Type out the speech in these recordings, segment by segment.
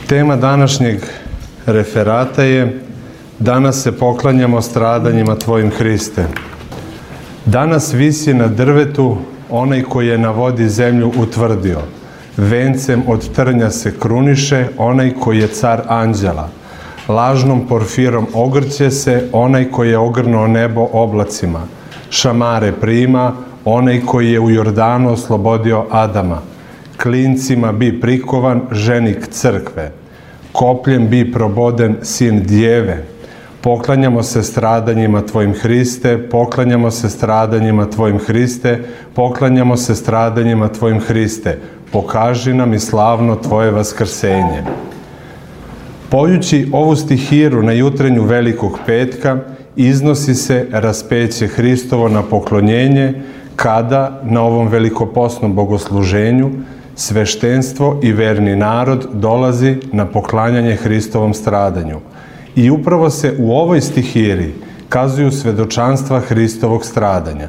Tema današnjeg referata je Danas se poklanjamo stradanjima Tvojim, Hriste. Danas visi na drvetu onaj koji je na vodi zemlju utvrdio. Vencem od trnja se kruniše onaj koji je car anđela. Lažnom porfirom ogrće se onaj koji je ogrnuo nebo oblacima. Šamare prima onaj koji je u Jordanu oslobodio Adama. Klincima bi prikovan ženik crkve. Kopljem bi proboden sin djeve. Poklanjamo se stradanjima Tvojim, Hriste, poklanjamo se stradanjima Tvojim, Hriste, poklanjamo se stradanjima Tvojim, Hriste. Pokaži nam i slavno Tvoje vaskrsenje. Pojući ovu stihiru na jutrenju Velikog petka, iznosi se raspeće Hristovo na poklonjenje, kada na ovom velikoposnom bogosluženju sveštenstvo i verni narod dolazi na poklanjanje Hristovom stradanju. I upravo se u ovoj stihiri kazuju svedočanstva Hristovog stradanja.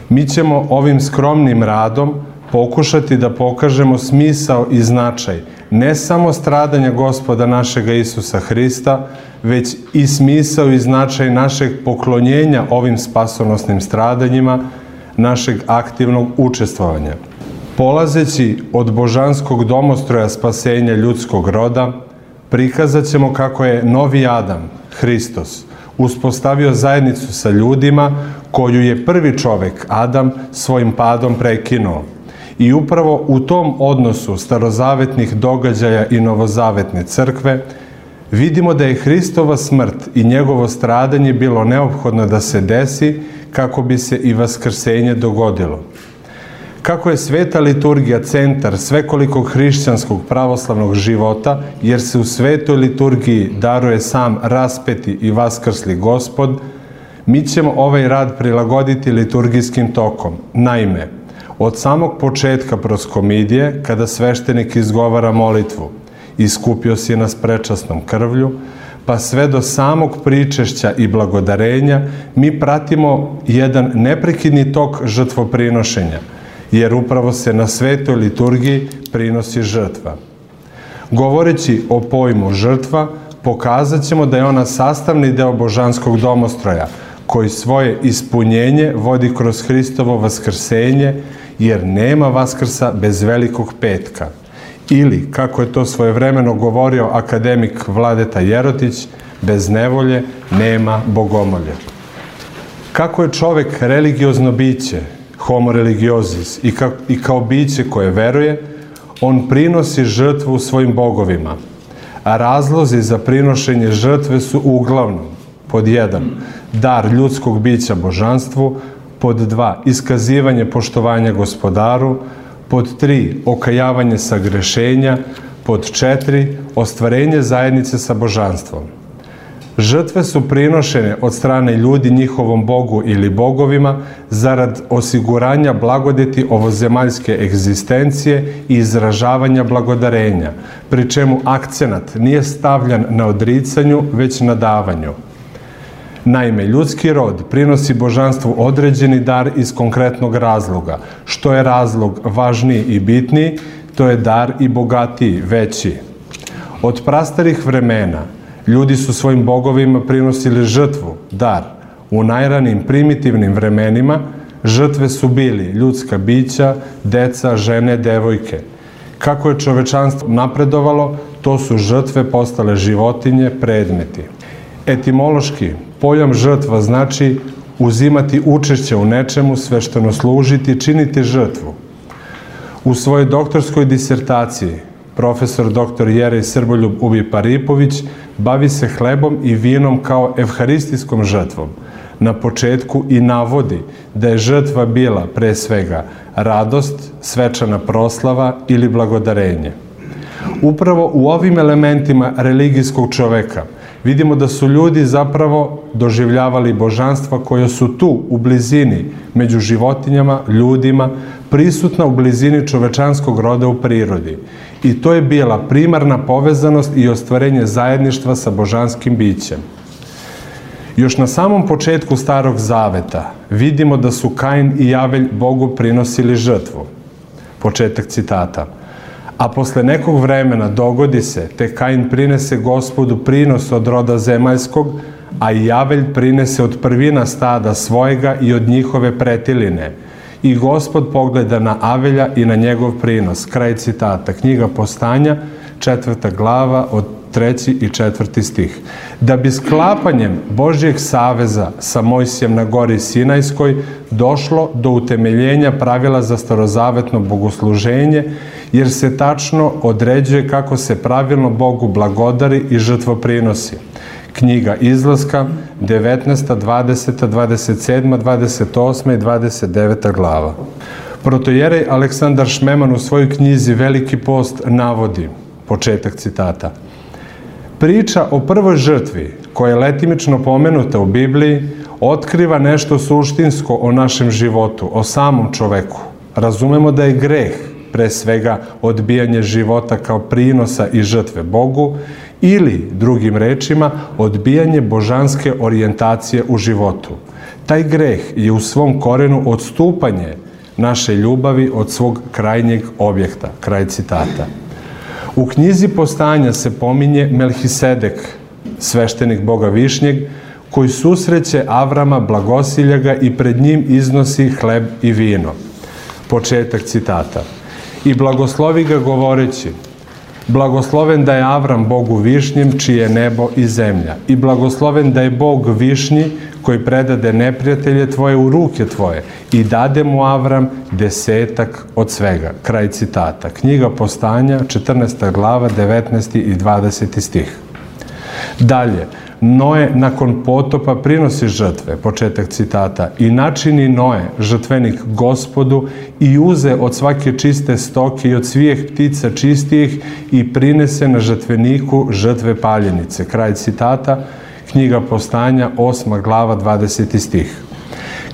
Mi ćemo ovim skromnim radom pokušati da pokažemo smisao i značaj ne samo stradanja Gospoda našega Isusa Hrista, već i smisao i značaj našeg poklonjenja ovim spasonosnim stradanjima, našeg aktivnog učestvovanja. Polazeći od božanskog domostroja spasenja ljudskog roda, prikazat ćemo kako je novi Adam, Hristos, uspostavio zajednicu sa ljudima koju je prvi čovek, Adam, svojim padom prekinuo. I upravo u tom odnosu starozavetnih događaja i novozavetne crkve vidimo da je Hristova smrt i njegovo stradanje bilo neophodno da se desi kako bi se i vaskrsenje dogodilo. Kako je sveta liturgija centar svekolikog hrišćanskog pravoslavnog života, jer se u svetoj liturgiji daruje sam raspeti i vaskrsli Gospod, mi ćemo ovaj rad prilagoditi liturgijskim tokom. Naime, od samog početka proskomidije, kada sveštenik izgovara molitvu Iskupio si nas prečasnom krvlju, pa sve do samog pričešća i blagodarenja, mi pratimo jedan neprekidni tok žrtvoprinošenja, jer upravo se na svetoj liturgiji prinosi žrtva. Govoreći o pojmu žrtva, pokazat ćemo da je ona sastavni deo božanskog domostroja, koji svoje ispunjenje vodi kroz Hristovo vaskrsenje, jer nema vaskrsa bez Velikog petka. Ili, kako je to svojevremeno govorio akademik Vladeta Jerotić, bez nevolje nema bogomolje. Kako je čovek religiozno biće, homo religiosis, i kao biće koje veruje, on prinosi žrtvu svojim bogovima. A razlozi za prinošenje žrtve su uglavnom: pod 1. dar ljudskog bića božanstvu, pod 2. iskazivanje poštovanja Gospodaru, pod 3. okajavanje sagrešenja, pod 4. ostvarenje zajednice sa božanstvom. Žrtve su prinošene od strane ljudi njihovom Bogu ili bogovima zarad osiguranja blagodeti ovozemaljske egzistencije i izražavanja blagodarenja, pri čemu akcenat nije stavljan na odricanju, već na davanju. Naime, ljudski rod prinosi božanstvu određeni dar iz konkretnog razloga. Što je razlog važniji i bitniji, to je dar i bogatiji, veći. Od prastarih vremena ljudi su svojim bogovima prinosili žrtvu, dar. U najranijim primitivnim vremenima žrtve su bili ljudska bića, deca, žene, devojke. Kako je čovečanstvo napredovalo, to su žrtve postale životinje, predmeti. Etimološki, pojam žrtva znači uzimati učešće u nečemu, svešteno služiti, činiti žrtvu. U svojoj doktorskoj disertaciji profesor dr. Jerej Srboljub Ubi-Paripović bavi se hlebom i vinom kao evharistijskom žrtvom. Na početku i navodi da je žrtva bila pre svega radost, svečana proslava ili blagodarenje. Upravo u ovim elementima religijskog čoveka vidimo da su ljudi zapravo doživljavali božanstva koja su tu, u blizini, među životinjama, ljudima, prisutna u blizini čovečanskog roda u prirodi. I to je bila primarna povezanost i ostvarenje zajedništva sa božanskim bićem. Još na samom početku Starog Zaveta vidimo da su Kain i Javelj Bogu prinosili žrtvu. Početak citata. A posle nekog vremena dogodi se, te Kain prinese Gospodu prinos od roda zemaljskog, a i Avelj prinese od prvina stada svojega i od njihove pretiline. I Gospod pogleda na Avelja i na njegov prinos. Kraj citata. Knjiga Postanja, 4. glava, od 3. i 4. stih. Da bi sklapanjem Božjeg saveza sa Mojsijem na gori Sinajskoj došlo do utemeljenja pravila za starozavetno bogosluženje, jer se tačno određuje kako se pravilno Bogu blagodari i žrtvoprinosi. Knjiga Izlaska, 19., 20., 27., 28. i 29. glava. Protojerej Aleksandar Šmeman u svojoj knjizi Veliki post navodi, početak citata, priča o prvoj žrtvi, koja je letimično pomenuta u Bibliji, otkriva nešto suštinsko o našem životu, o samom čoveku. Razumemo da je greh, pre svega, odbijanje života kao prinosa i žrtve Bogu, ili, drugim rečima, odbijanje božanske orijentacije u životu. Taj greh je u svom korenu odstupanje naše ljubavi od svog krajnjeg objekta. Kraj citata. U knjizi Postanja se pominje Melhisedek, sveštenik Boga Višnjeg, koji susreće Avrama, blagosilja ga i pred njim iznosi hleb i vino. Početak citata. I blagoslovi ga govoreći, blagosloven da je Avram Bogu Višnjem, čije je nebo i zemlja. I blagosloven da je Bog Višnji, koji predade neprijatelje tvoje u ruke tvoje i dade mu Avram 10 od svega. Kraj citata. Knjiga Postanja, 14. glava, 19. i 20. stih. Dalje, Noe nakon potopa prinosi žrtve, početak citata, i načini Noe žrtvenik Gospodu i uze od svake čiste stoke i od svih ptica čistijih i prinese na žrtveniku žrtve paljenice. Kraj citata, knjiga Postanja, 8. glava, 20. stih.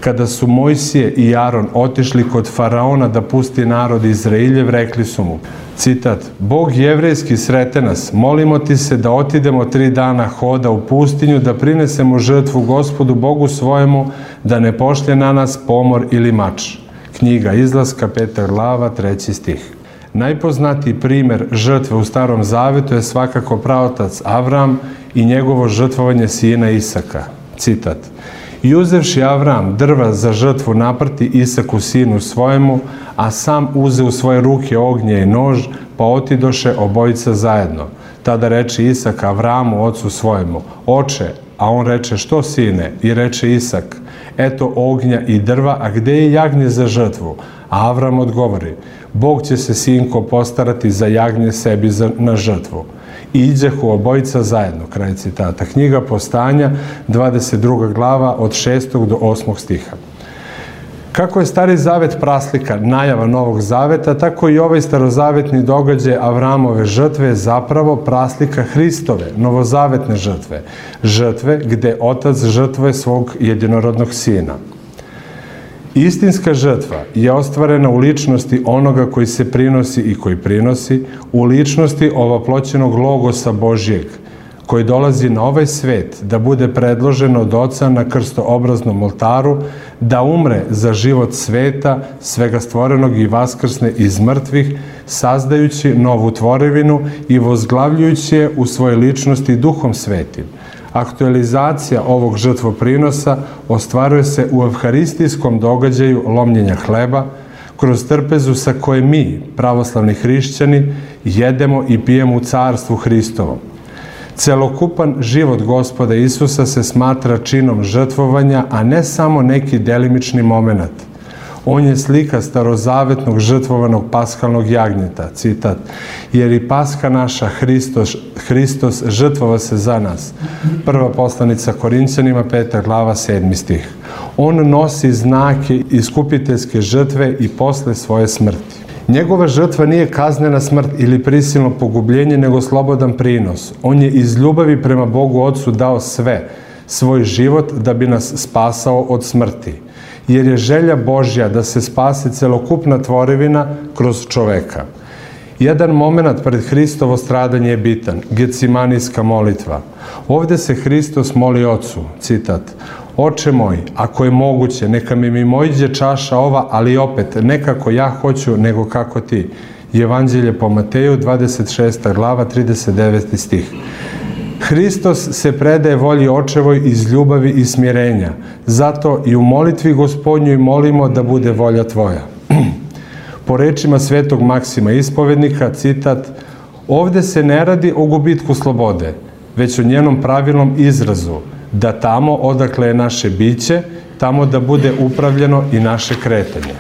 Kada su Mojsije i Aron otišli kod faraona da pusti narod Izrailjev, rekli su mu, citat, Bog jevrejski srete nas, molimo ti se da otidemo 3 dana hoda u pustinju, da prinesemo žrtvu Gospodu Bogu svojemu, da ne pošlje na nas pomor ili mač. Knjiga Izlaska, 5. glava, 3. stih. Najpoznatiji primer žrtve u Starom Zavetu je svakako praotac Avram i njegovo žrtvovanje sina Isaka. Citat. I uzevši Avram drva za žrtvu naprti Isaku sinu svojemu, a sam uze u svoje ruke ognje i nož, pa otidoše obojica zajedno. Tada reče Isak Avramu, ocu svojemu, oče, a on reče, što sine? I reče Isak, eto ognja i drva, a gde je jagnje za žrtvu? A Avram odgovori, Bog će se, sinko, postarati za jagnje sebi na žrtvu. I iđehu obojica zajedno. Kraj citata. Knjiga Postanja, 22. glava, od 6. do 8. stiha. Kako je Stari Zavet praslika, najava Novog Zaveta, tako i ovaj starozavetni događaj Avramove žrtve je zapravo praslika Hristove, novozavetne žrtve. Žrtve gde otac žrtvuje svog jedinorodnog sina. Istinska žrtva je ostvarena u ličnosti onoga koji se prinosi i koji prinosi, u ličnosti ovoploćenog Logosa Božjeg, koji dolazi na ovaj svet da bude predložen od Oca na krstoobraznom oltaru, da umre za život sveta, svega stvorenog i vaskrsne iz mrtvih, sazdajući novu tvorevinu i vozglavljujući je u svojoj ličnosti Duhom Svetim. Aktualizacija ovog žrtvoprinosa ostvaruje se u evharistijskom događaju lomljenja hleba, kroz trpezu sa koje mi, pravoslavni hrišćani, jedemo i pijemo u carstvu Hristovom. Celokupan život Gospoda Isusa se smatra činom žrtvovanja, a ne samo neki delimični moment. On je slika starozavetnog žrtvovanog paskalnog jagnjeta, citat, jer i paska naša, Hristos, žrtvova se za nas. Prva poslanica Korinćanima, 5. glava, 7. stih. On nosi znake iskupiteljske žrtve i posle svoje smrti. Njegova žrtva nije kaznena smrt ili prisilno pogubljenje, nego slobodan prinos. On je iz ljubavi prema Bogu Otcu dao sve, svoj život da bi nas spasao od smrti. Jer je želja Božja da se spase celokupna tvorevina kroz čoveka. Jedan moment pred Hristovo stradanje je bitan, Gecimanijska molitva. Ovde se Hristos moli Ocu, citat, Oče moj, ako je moguće, neka mi mimoiđe čaša ova, ali opet, ne kako ja hoću, nego kako ti. Evanđelje po Mateju, 26. glava, 39. stih. Hristos se predaje volji Očevoj iz ljubavi i smirenja. Zato i u molitvi Gospodnjoj molimo da bude volja Tvoja. Po rečima svetog Maksima Ispovednika, citat: ovde se ne radi o gubitku slobode, već o njenom pravilnom izrazu, da tamo odakle je naše biće, tamo da bude upravljeno i naše kretanje.